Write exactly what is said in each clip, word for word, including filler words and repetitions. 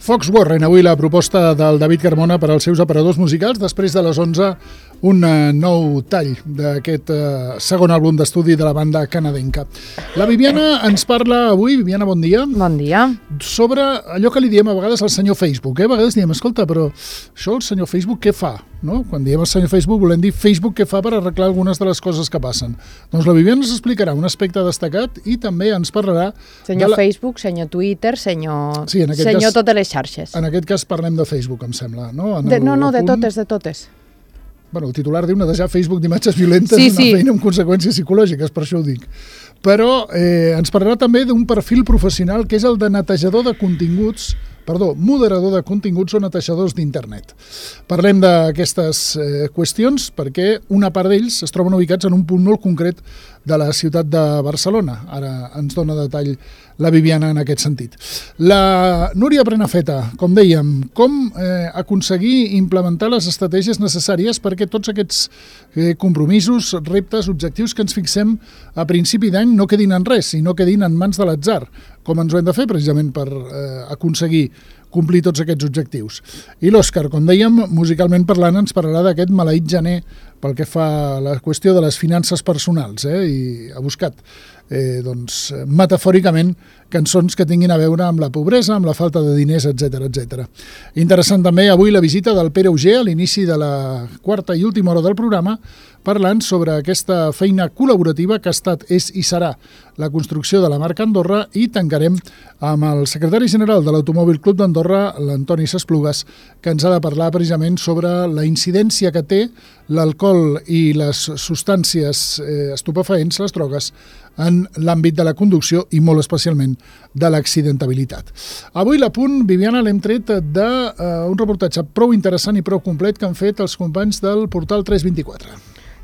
Foxwarren, avui la proposta del David Carmona per als seus aparadors musicals. Després de les onze, un nou tall d'aquest eh, segon àlbum d'estudi de la banda canadenca. La Viviana ens parla avui, Viviana, bon dia. Bon dia. Sobre allò que li diem a vegades al senyor Facebook. Eh? A vegades diem, escolta, però això el senyor Facebook què fa? No? Quan diem al senyor Facebook volem dir Facebook què fa per arreglar algunes de les coses que passen. Doncs la Viviana ens explicarà un aspecte destacat i també ens parlarà... Senyor la... Facebook, senyor Twitter, senyor, sí, senyor cas, totes les xarxes. En aquest cas parlem de Facebook, em sembla. No, en de, no, no, punt... de totes, de totes. Bueno, el titular diu netejar Facebook d'imatges violentes sí, és una sí. feina amb conseqüències psicològiques, per això ho dic. Però eh, ens parlarà també d'un perfil professional que és el de netejador de continguts, perdó, moderador de continguts o netejadors d'internet. Parlem d'aquestes eh, qüestions perquè una part d'ells es troben ubicats en un punt molt concret de la ciutat de Barcelona. Ara ens dona detall la Viviana en aquest sentit. La Núria Prenafeta, com dèiem, com eh, aconseguir implementar les estratègies necessàries perquè tots aquests eh, compromisos, reptes, objectius que ens fixem a principi d'any no quedin en res i no quedin en mans de l'atzar, com ens ho hem de fer precisament per eh, aconseguir complir tots aquests objectius. I l'Òscar, com dèiem, musicalment parlant, ens parlarà d'aquest maleït gener pel que fa a la qüestió de les finances personals, eh? I ha buscat eh, doncs, metafòricament cançons que tinguin a veure amb la pobresa, amb la falta de diners, etcètera, etcètera. Interessant també avui la visita del Pere Auger a l'inici de la quarta i última hora del programa, parlant sobre aquesta feina col·laborativa que ha estat, és i serà la construcció de la marca Andorra, i tancarem amb el secretari general de l'Automòbil Club d'Andorra, l'Antoni Sesplugues, que ens ha de parlar precisament sobre la incidència que té l'alcohol i les substàncies eh, estupefaents, les drogues, en l'àmbit de la conducció i molt especialment de l'accidentabilitat. Avui l'Apunt, Viviana, l'hem tret d'un uh, reportatge prou interessant i prou complet que han fet els companys del portal tres vint-i-quatre.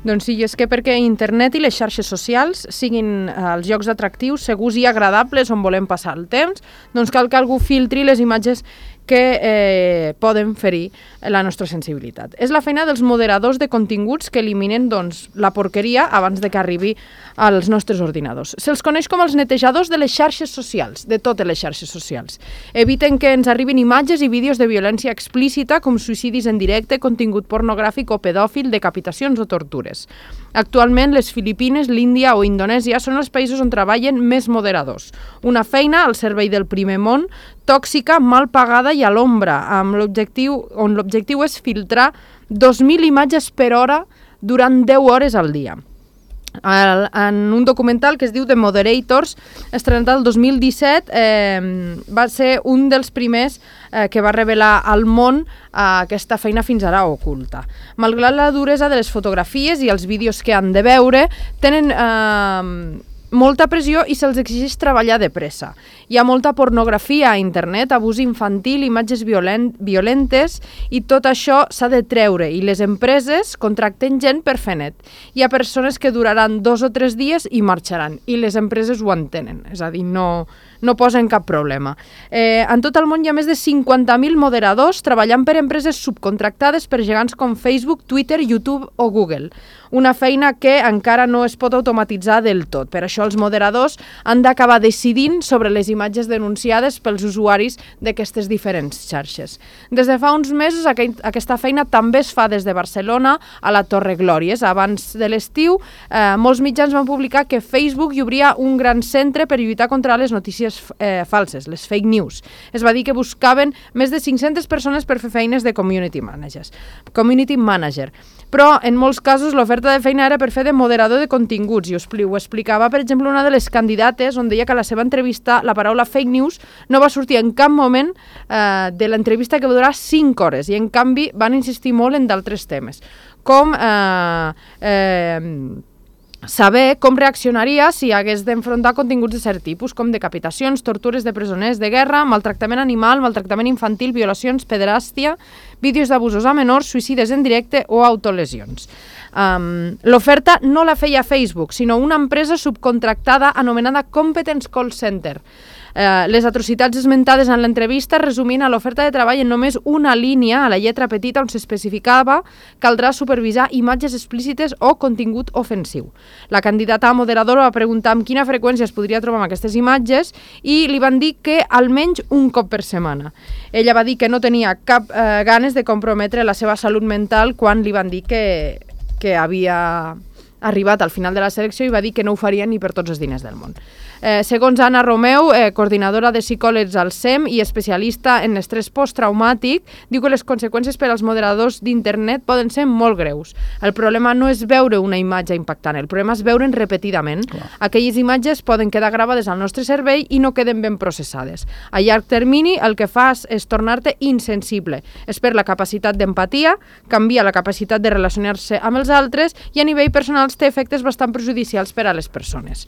Doncs sí, és que perquè internet i les xarxes socials siguin eh, els llocs atractius, segurs i agradables on volem passar el temps, doncs cal que algú filtri les imatges que eh, poden ferir la nostra sensibilitat. És la feina dels moderadors de continguts que eliminen doncs, la porqueria abans de que arribi als nostres ordinadors. Se'ls coneix com els netejadors de les xarxes socials, de totes les xarxes socials. Eviten que ens arribin imatges i vídeos de violència explícita com suïcidis en directe, contingut pornogràfic o pedòfil, decapitacions o tortures. Actualment, les Filipines, l'Índia o Indonèsia són els països on treballen més moderadors. Una feina al servei del primer món, tòxica, mal pagada i a l'ombra, amb l'objectiu, on l'objectiu és filtrar dos mil imatges per hora durant deu hores al dia. El, en un documental que es diu The Moderators, estrenat el dos mil disset, eh, va ser un dels primers eh, que va revelar al món eh, aquesta feina fins ara oculta. Malgrat la duresa de les fotografies i els vídeos que han de veure, tenen eh, molta pressió i se'ls exigeix treballar de pressa. Hi ha molta pornografia a internet, abús infantil, imatges violent, violentes, i tot això s'ha de treure, i les empreses contracten gent per fer net. Hi ha persones que duraran dos o tres dies i marxaran, i les empreses ho entenen, és a dir, no, no posen cap problema. Eh, en tot el món hi ha més de cinquanta mil moderadors treballant per empreses subcontractades per gegants com Facebook, Twitter, YouTube o Google. Una feina que encara no es pot automatitzar del tot. Per això els moderadors han d'acabar decidint sobre les imatges denunciades pels usuaris d'aquestes diferents xarxes. Des de fa uns mesos aquesta feina també es fa des de Barcelona a la Torre Glòries. Abans de l'estiu, eh, molts mitjans van publicar que Facebook hi obria un gran centre per lluitar contra les notícies eh, falses, les fake news. Es va dir que buscaven més de cinc-centes persones per fer feines de community managers. Community manager. Però en molts casos l'oferta de feina era per fer de moderador de continguts, i ho explicava, per exemple, una de les candidates, on deia que a la seva entrevista la paraula fake news no va sortir en cap moment eh, de l'entrevista, que va durar cinc hores, i en canvi van insistir molt en d'altres temes, com eh, eh, saber com reaccionaria si hagués d'enfrontar continguts de cert tipus, com decapitacions, tortures de presoners de guerra, maltractament animal, maltractament infantil, violacions, pederàstia, vídeos d'abusos a menors, suïcides en directe o autolesions. Um, l'oferta no la feia Facebook, sinó una empresa subcontractada anomenada Competence Call Center. Eh, les atrocitats esmentades en l'entrevista resumien a l'oferta de treball en només una línia a la lletra petita on s'especificava caldrà supervisar imatges explícites o contingut ofensiu. La candidata a moderadora va preguntar amb quina freqüència es podria trobar amb aquestes imatges i li van dir que almenys un cop per setmana. Ella va dir que no tenia cap eh, ganes de comprometre la seva salut mental quan li van dir que, que havia arribat al final de la selecció i va dir que no ho faria ni per tots els diners del món. Eh, segons Anna Romeu, eh, coordinadora de psicòlegs al S E M i especialista en estrès posttraumàtic, diu que les conseqüències per als moderadors d'internet poden ser molt greus. El problema no és veure una imatge impactant, el problema és veure'n repetidament. Clar. Aquelles imatges poden quedar gravades al nostre cervell i no queden ben processades. A llarg termini el que fas és tornar-te insensible. Es perd la capacitat d'empatia, canvia la capacitat de relacionar-se amb els altres i a nivell personal té efectes bastant perjudicials per a les persones.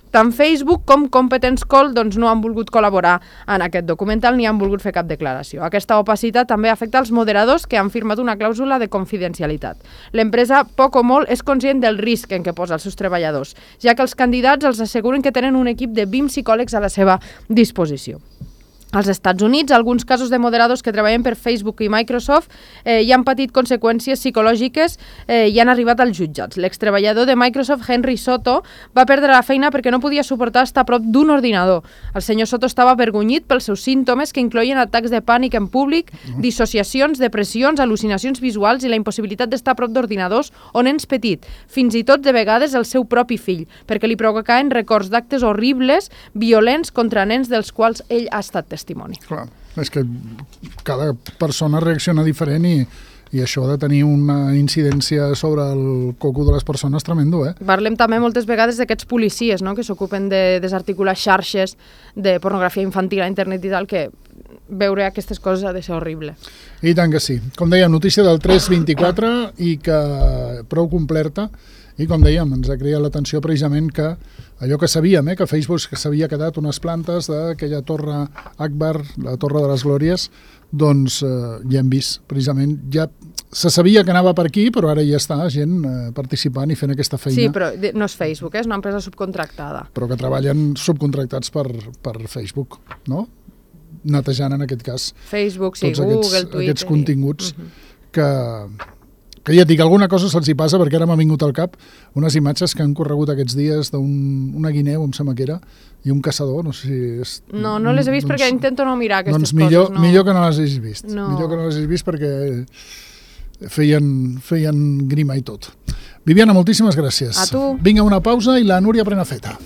Tant Facebook com Competence Call doncs, no han volgut col·laborar en aquest documental ni han volgut fer cap declaració. Aquesta opacitat també afecta als moderadors que han firmat una clàusula de confidencialitat. L'empresa, poc o molt, és conscient del risc en què posa els seus treballadors, ja que els candidats els asseguren que tenen un equip de vint psicòlegs a la seva disposició. Als Estats Units, alguns casos de moderadors que treballen per Facebook i Microsoft eh, ja han patit conseqüències psicològiques eh, i han arribat als jutjats. L'extreballador de Microsoft, Henry Soto, va perdre la feina perquè no podia suportar estar a prop d'un ordinador. El senyor Soto estava avergonyit pels seus símptomes que incloïen atacs de pànic en públic, dissociacions, depressions, al·lucinacions visuals i la impossibilitat d'estar a prop d'ordinadors o nens petits, fins i tot de vegades el seu propi fill, perquè li provocaven records d'actes horribles, violents contra nens dels quals ell ha estat testimoni. Clar, és que cada persona reacciona diferent i, i això ha de tenir una incidència sobre el coco de les persones tremendo, eh? Parlem també moltes vegades d'aquests policies, no?, que s'ocupen de desarticular xarxes de pornografia infantil a internet i tal, que veure aquestes coses ha de ser horrible. I tant que sí. Com dèiem, notícia del tres vint-i-quatre i que prou completa. I com dèiem, ens ha creat l'atenció precisament que allò que sabíem, eh, que Facebook que s'havia quedat unes plantes d'aquella torre Akbar, la torre de les Glòries, doncs eh, ja hem vist, precisament, ja se sabia que anava per aquí, però ara ja està gent eh, participant i fent aquesta feina. Sí, però no és Facebook, eh, és una empresa subcontractada. Però que treballen subcontractats per, per Facebook, no? Netejant, en aquest cas, Facebook, sí, tots Google, aquests, Twitter... aquests continguts uh -huh. que... que ja et dic, alguna cosa se'ls hi passa, perquè ara m'ha vingut al cap unes imatges que han corregut aquests dies d'una guineu, em sembla que era, i un caçador, no sé si és... No, no les he vist doncs, perquè intento no mirar aquestes doncs millor, coses. No. Millor que no les hagis vist. No. Millor que no les hagis vist perquè feien, feien grima i tot. Viviana, moltíssimes gràcies. A tu. Vinga, una pausa i la Núria Prenafeta.